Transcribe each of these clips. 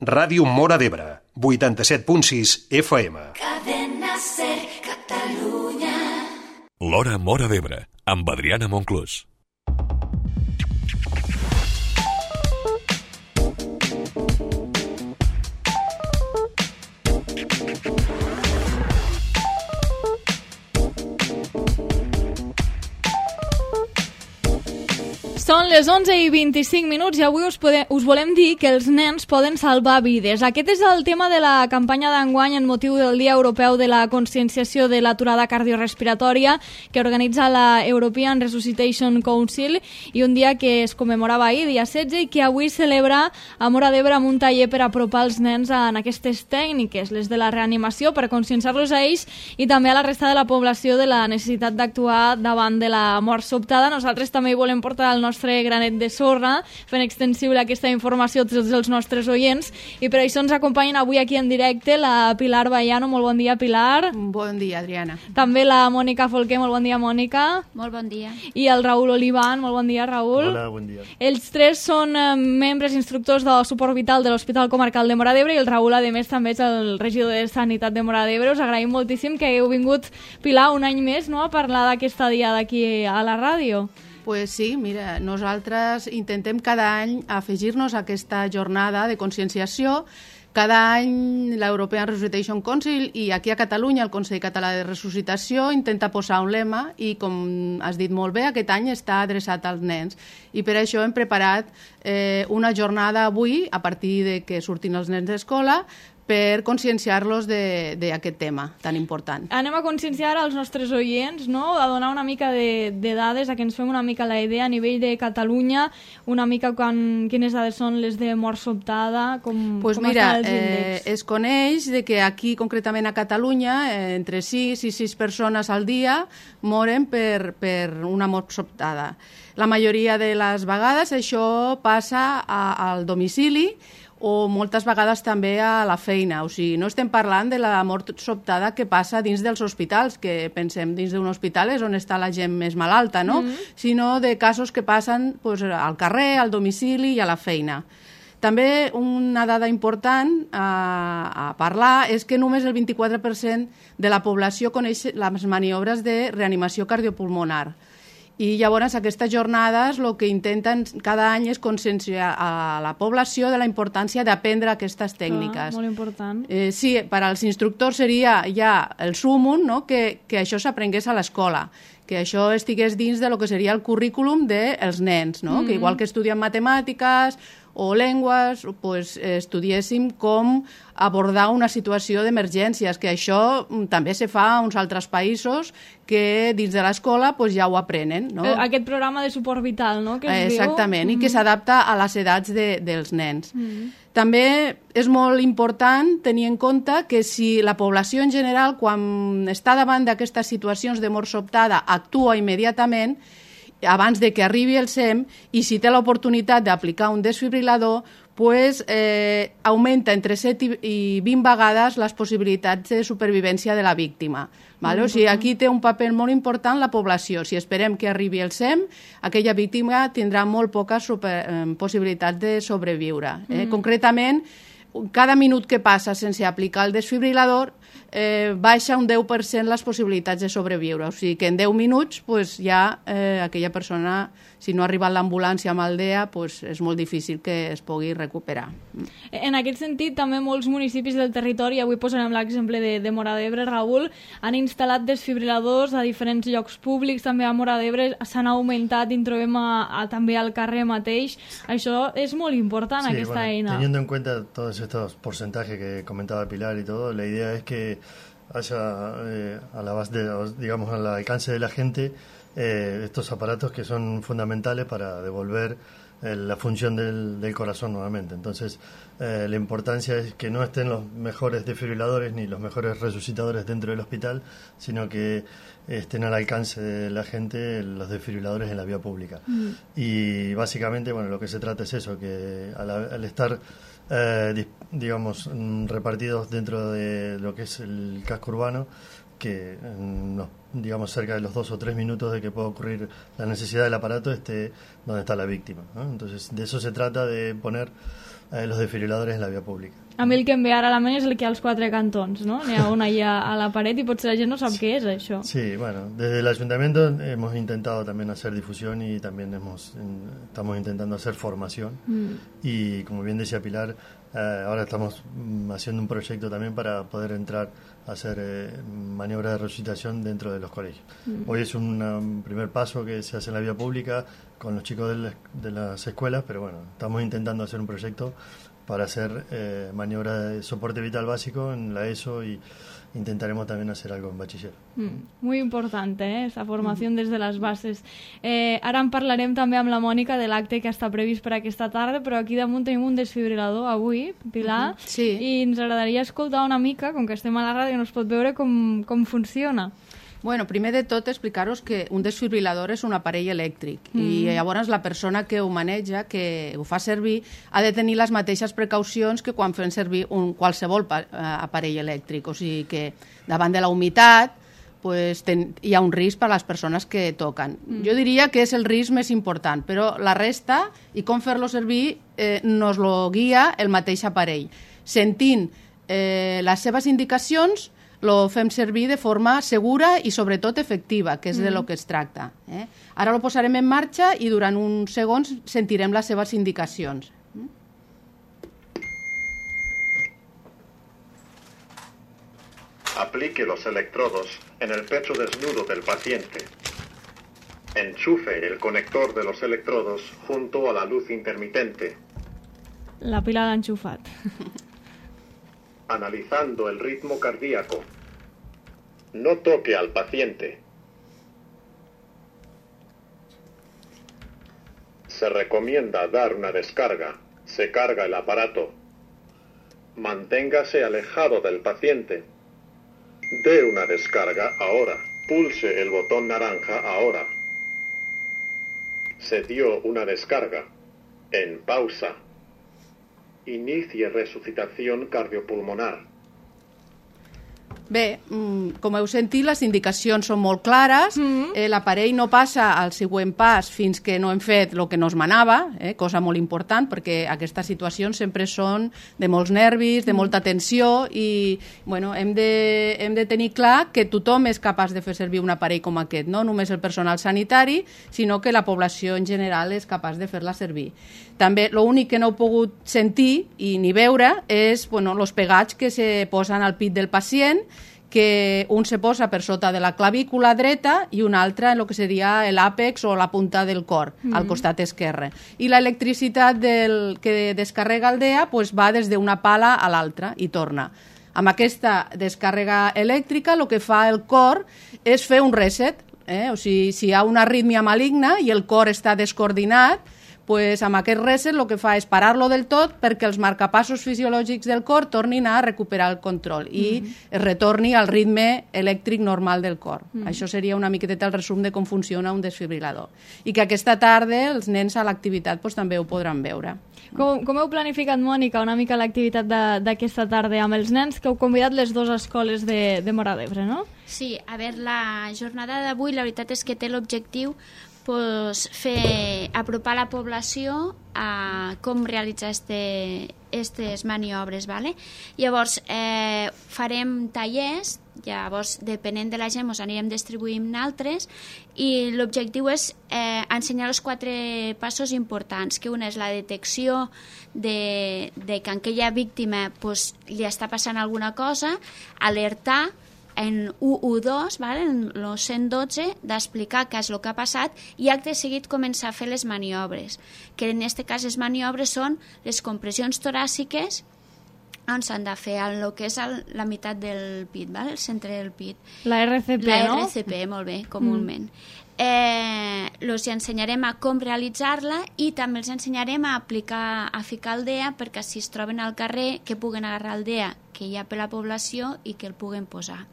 Ràdio Móra d'Ebre, 87.6 FM. Cadena Ser, Catalunya. L'Hora Móra d'Ebre, amb Adriana Monclús. Són les 11:25 i avui us volem dir que els nens poden salvar vides. Aquest és el tema de la campanya d'enguany en motiu del Dia Europeu de la Conscienciació de l'Aturada Cardiorrespiratòria que organitza la European Resuscitation Council i un dia que es commemorava ahir, dia 16, i que avui celebra a Móra d'Ebre amb un taller per apropar els nens en aquestes tècniques, les de la reanimació, per conscienciar-los a ells i també a la resta de la població de la necessitat d'actuar davant de la mort sobtada. Nosaltres també hi volem portar el nostre granet de sorra, fent extensible aquesta informació a tots els nostres oients, i per això ens acompanyen avui aquí en directe la Pilar Baiano. Molt bon dia, Pilar. Bon dia, Adriana. També la Mònica Folquer. Molt bon dia, Mònica. Molt bon dia. I el Raül Olivan. Molt bon dia, Raül. Hola, bon dia. Ells tres són membres instructors del suport vital de l'Hospital Comarcal de Móra d'Ebre i el Raül, a més, també és el regidor de Sanitat de Móra d'Ebre. Us agraïm moltíssim que heu vingut, Pilar, un any més, no?, a parlar d'aquesta dia d'aquí a la ràdio. Pues sí, mira, nosaltres intentem cada any afegir-nos a aquesta jornada de conscienciació. Cada any l'European Resuscitation Council i aquí a Catalunya el Consell Català de Resuscitació intenta posar un lema i, com has dit molt bé, aquest any està adreçat als nens. I per això hem preparat una jornada avui, a partir de que surtin els nens d'escola, per conscienciar-los d'aquest tema tan important. Anem a conscienciar els nostres oients, no?, a donar una mica de dades, a que ens fem una mica la idea a nivell de Catalunya, una mica quines dades són les de mort sobtada, com mira, estan els índexs. Es coneix de que aquí, concretament a Catalunya, entre 6 i 6 persones al dia moren per una mort sobtada. La majoria de les vegades això passa al domicili o moltes vegades també a la feina. O sigui, no estem parlant de la mort sobtada que passa dins dels hospitals, que pensem dins d'un hospital és on està la gent més malalta, no? Sinó de casos que passen al carrer, al domicili i a la feina. També una dada important a parlar és que només el 24% de la població coneix les maniobres de reanimació cardiopulmonar. I llavors aquestes jornades el que intenten cada any és conscienciar a la població de la importància d'aprendre aquestes tècniques. Molt important. Sí, per als instructors seria ja el súmum, no?, que això s'aprengués a l'escola, que això estigués dins de lo que seria el currículum dels nens, no? Que igual que estudien matemàtiques o llengües, pues, estudiéssim com abordar una situació d'emergències, que això també se fa a uns altres països que dins de l'escola pues, ja ho aprenen. No? Aquest programa de suport vital, no?, que es Exactament, i que s'adapta a les edats dels nens. També és molt important tenir en compte que si la població en general, quan està davant d'aquestes situacions de mort sobtada, actua immediatament, abans de que arribi el SEM, i si té l'oportunitat d'aplicar un desfibrilador, pues, augmenta entre 7 i 20 vegades les possibilitats de supervivència de la víctima. Vale? O sigui, aquí té un paper molt important la població. Si esperem que arribi el SEM, aquella víctima tindrà molt poques possibilitats de sobreviure. Concretament, cada minut que passa sense aplicar el desfibrilador baixa un 10% les possibilitats de sobreviure. O sigui que en 10 minuts pues, ja aquella persona, si no ha arribat l'ambulància amb el DEA, pues, és molt difícil que es pugui recuperar. En aquest sentit, també molts municipis del territori, avui posarem l'exemple de Móra d'Ebre, Raül, han instal·lat desfibriladors a diferents llocs públics, també a Móra d'Ebre s'han augmentat i en trobem també al carrer mateix. Això és molt important, sí, aquesta eina. Teniendo en cuenta todos estos porcentajes que comentaba Pilar y todo, la idea es que haya al alcance de la gente estos aparatos que son fundamentales para devolver la función del corazón nuevamente. Entonces, la importancia es que no estén los mejores desfibriladores ni los mejores resucitadores dentro del hospital, sino que estén al alcance de la gente los desfibriladores en la vía pública. Y básicamente, bueno, lo que se trata es eso, que al estar repartidos dentro de lo que es el casco urbano, que cerca de los 2 o 3 minutos de que pueda ocurrir la necesidad del aparato esté donde está la víctima, ¿no? Entonces de eso se trata, de poner los desfibriladores en la vía pública. A mi el que em ve ara a la ment és el que hi ha als 4 cantons, no? N'hi ha un allà a la paret i potser la gent no sap què és, això. Sí, bueno, desde el ayuntamiento hemos intentado también hacer difusión y también estamos intentando hacer formación. Y como bien decía Pilar, ahora estamos haciendo un proyecto también para poder entrar a hacer maniobras de resucitación dentro de los colegios. Hoy es un primer paso que se hace en la vía pública con los chicos de las escuelas, pero bueno, estamos intentando hacer un proyecto para hacer maniobras de soporte vital básico en la ESO y intentaremos también hacer algo en bachiller. Muy importante, esa formació des de les bases. Ara en parlarem també amb la Mònica de l'acte que està previst per aquesta tarda, però aquí damunt tenim un desfibrilador avui, Pilar, Sí. i ens agradaria escoltar una mica, com que estem a la ràdio, no es pot veure com funciona. Bueno, primer de tot explicar-vos que un desfibrilador és un aparell elèctric i llavors la persona que ho maneja, que ho fa servir, ha de tenir les mateixes precaucions que quan fem servir qualsevol aparell elèctric. O sigui que davant de la humitat pues, hi ha un risc per a les persones que toquen. Jo diria que és el risc més important, però la resta i com fer-lo servir nos lo guia el mateix aparell. Sentint les seves indicacions, lo fem servir de forma segura i sobretot efectiva, que és de lo que es tracta. Ara lo posarem en marxa i durant uns segons sentirem les seves indicacions. Aplique los electrodos en el pecho desnudo del paciente. Enchufe el conector de los electrodos junto a la luz intermitente. La Pilar l'ha enxufat. Analizando el ritmo cardíaco. No toque al paciente. Se recomienda dar una descarga. Se carga el aparato. Manténgase alejado del paciente. Dé una descarga ahora. Pulse el botón naranja ahora. Se dio una descarga. En pausa. Inicie resucitación cardiopulmonar. Bé, com heu sentit, les indicacions són molt clares, l'aparell no passa al següent pas fins que no hem fet el que nos manava, cosa molt important, perquè aquestes situacions sempre són de molts nervis, de molta tensió, i bueno, hem de tenir clar que tothom és capaç de fer servir un aparell com aquest, no només el personal sanitari, sinó que la població en general és capaç de fer-la servir. També l'únic que no heu pogut sentir i ni veure és els pegats que se posen al pit del pacient, que un se posa per sota de la clavícula dreta i un altre en el que seria l'àpex o la punta del cor, al costat esquerre. I l'electricitat que descarrega el DEA va des d'una pala a l'altra i torna. Amb aquesta descàrrega elèctrica el que fa el cor és fer un reset, o sigui, si hi ha una arrítmia maligna i el cor està descoordinat, amb aquest reset el que fa és parar-lo del tot perquè els marcapassos fisiològics del cor tornin a recuperar el control i es retorni al ritme elèctric normal del cor. Això seria una miqueta el resum de com funciona un desfibrilador. I que aquesta tarda els nens a l'activitat també ho podran veure. Com heu planificat, Mònica, una mica l'activitat d'aquesta tarda amb els nens que heu convidat les dues escoles de Móra d'Ebre, no? Sí, a veure, la jornada d'avui la veritat és que té l'objectiu apropar la població a com realitzar aquestes maniobres. Llavors, farem tallers, llavors, depenent de la gent, ens anirem distribuint altres, i l'objectiu és ensenyar els 4 passos importants, que una és la detecció de que a aquella víctima li està passant alguna cosa, alertar en 112, en el 112, d'explicar què és el que ha passat i acte seguit començar a fer les maniobres, que en aquest cas les maniobres són les compressions toràciques on s'han de fer el que és la meitat del pit, el centre del pit. La RCP, no? La RCP, molt bé, comúment. Els ensenyarem a com realitzar-la i també els ensenyarem a ficar el DEA perquè si es troben al carrer que puguen agarrar el DEA que hi ha per la població i que el puguen posar.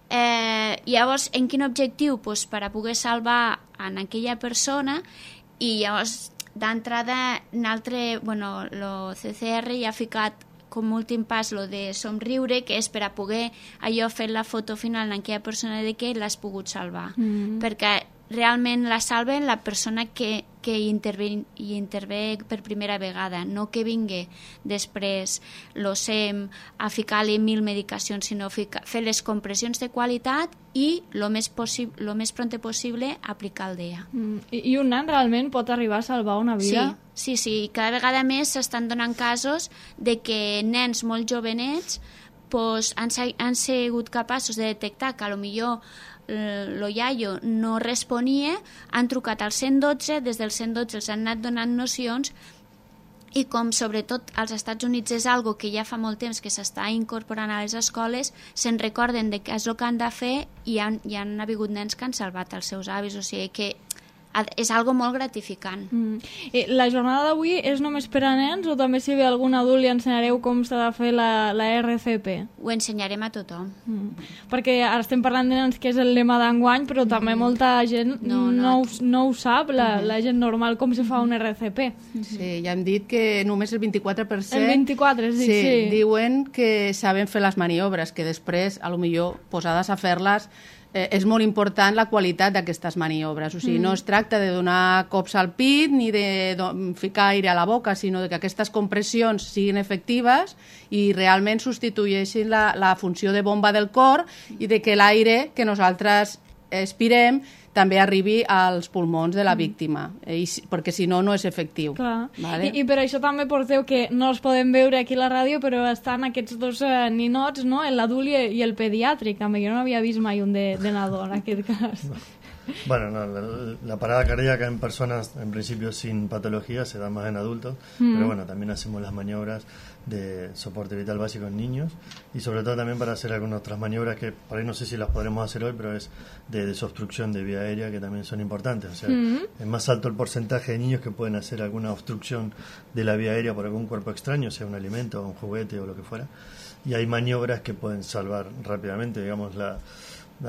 Llavors, en quin objectiu? Per a poder salvar en aquella persona i llavors d'entrada el CCR ja ha ficat com a últim pas lo de somriure, que és per a poder allò fer la foto final en aquella persona de que l'has pogut salvar. Perquè realment la salven la persona que hi intervé per primera vegada, no que vingui després l'OSEM a ficar-li 1000 medicacions, sinó fer les compressions de qualitat i lo més pront possible aplicar el DEA. I un nen realment pot arribar a salvar una vida? Sí, cada vegada més s'estan donant casos de que nens molt jovenets han sigut capaços de detectar que potser lo iaio no responia, han trucat al 112, des del 112 els han anat donant nocions i com sobretot als Estats Units és algo que ja fa molt temps que s'està incorporant a les escoles, se'n recorden de què és el que han de fer i han hagut nens que han salvat els seus avis, o sigui que és algo molt gratificant. La jornada d'avui és només per a nens o també si ve algun adult li ensenyareu com s'ha de fer la RCP? Ho ensenyarem a tothom. Perquè ara estem parlant de nens, que és el lema d'enguany, però també molta gent no ho sap, la gent normal, com se fa un RCP. Sí, ja hem dit que només el 24%... El 24%, sí. Diuen que saben fer les maniobres, que després, a lo millor, posades a fer-les, és molt important la qualitat d'aquestes maniobres. O sigui, no es tracta de donar cops al pit ni de ficar aire a la boca, sinó que aquestes compressions siguin efectives i realment substitueixin la funció de bomba del cor i de que l'aire que nosaltres expirem també arribi als pulmons de la víctima, perquè si no, no és efectiu. Vale? I per això també porteu que no els podem veure aquí a la ràdio, però estan aquests dos ninots, no? l'adult i el pediàtric, també. Jo no havia vist mai un de nadó en aquest cas. Bueno, la parada cardíaca en personas, en principio sin patología, se da más en adultos, pero bueno, también hacemos las maniobras de soporte vital básico en niños y sobre todo también para hacer algunas otras maniobras que por ahí no sé si las podremos hacer hoy, pero es de desobstrucción de vía aérea, que también son importantes. O sea, es más alto el porcentaje de niños que pueden hacer alguna obstrucción de la vía aérea por algún cuerpo extraño, sea un alimento, un juguete o lo que fuera, y hay maniobras que pueden salvar rápidamente, digamos, la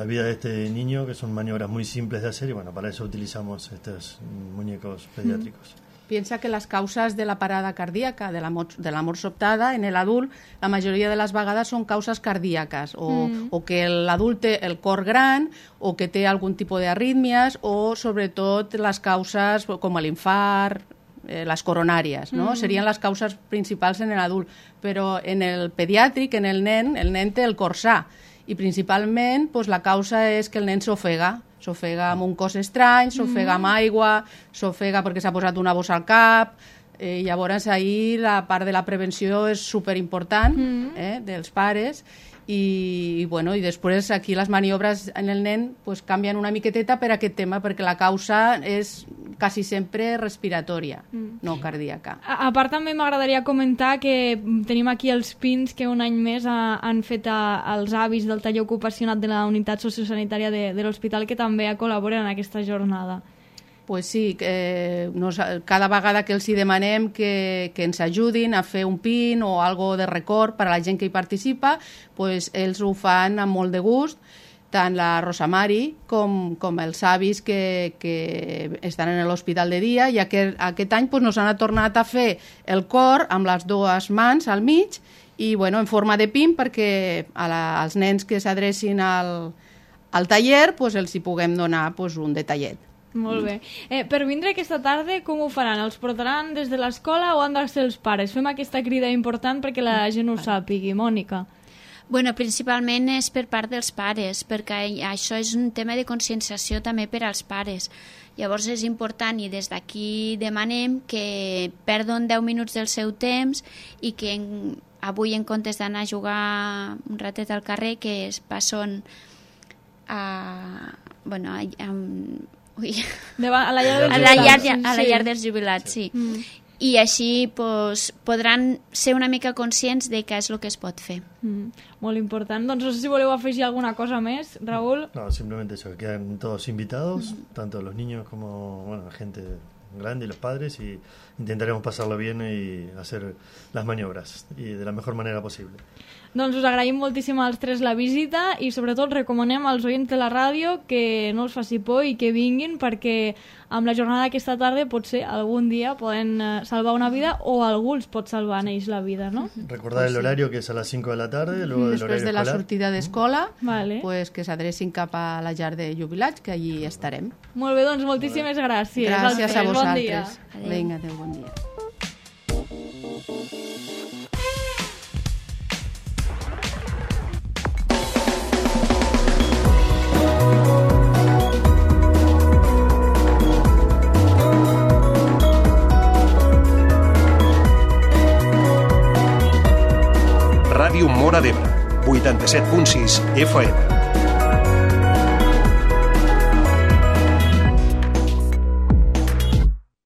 vida de este niño, que son maniobras muy simples de hacer y bueno, para eso utilizamos estos muñecos pediátricos. Piensa que les causes de la parada cardíaca, de la mort sobtada, en l'adult, la majoria de les vegades són causes cardíaques, o que l'adult té el cor gran, o que té algun tipus d'arrítmies, o sobretot les causes com l'infart, les coronàries, no? Serien les causes principals en l'adult, però en el pediàtric, en el nen té el cor sa, i principalment la causa és que el nen s'ofega amb un cos estrany, s'ofega amb aigua, s'ofega perquè s'ha posat una bossa al cap, llavors ahir la part de la prevenció és superimportant dels pares i després aquí les maniobres en el nen canvien una miqueteta per aquest tema, perquè la causa és quasi sempre respiratòria, no cardíaca. A part també m'agradaria comentar que tenim aquí els pins que un any més han fet els avis del taller ocupacional de la unitat sociosanitària de l'hospital, que també col·laboren en aquesta jornada. Pues sí, cada vegada que els hi demanem que ens ajudin a fer un pin o algo de record per a la gent que hi participa, pues ells ho fan amb molt de gust, tant la Rosa Mari com els avis que estan en l'hospital de dia, i aquest any nos han tornat a fer el cor amb les dues mans al mig i en forma de pin, perquè als nens que s'adrecin al taller els hi puguem donar un detallet. Molt bé. Per vindre aquesta tarda, com ho faran? Els portaran des de l'escola o han de ser els pares? Fem aquesta crida important perquè la gent ho sàpigui. Mònica. Bueno, principalment és per part dels pares, perquè això és un tema de conscienciació també per als pares. Llavors és important i des d'aquí demanem que perdon 10 minuts del seu temps i que avui, en comptes d'anar a jugar un ratet al carrer, que es passen a la llar dels jubilats, sí. I així podran ser una mica conscients de què és el que es pot fer. Molt important. Doncs no sé si voleu afegir alguna cosa més, Raúl. No, simplemente eso, que quedan todos invitados, tanto los niños como la gente grandes, los padres, y intentaremos pasarlo bien y hacer las maniobras y de la mejor manera posible. Doncs us agraïm moltíssim als tres la visita i sobretot recomanem als oients de la ràdio que no els faci por i que vinguin, perquè amb la jornada d'aquesta tarda potser algun dia poden salvar una vida o algú els pot salvar en ells la vida, no? Recordar el horario, que es a las 5 de la tarde, luego del Després horario de la escolar. sortida d'escola, Vale. pues, que s'adrecin cap a la llar de jubilats, que allí estarem. Molt bé, doncs moltíssimes gràcies. Gràcies a Bon vosaltres. dia. Vinga, adéu, bon dia. Ràdio Móra d'Ebre, 87.6 FM.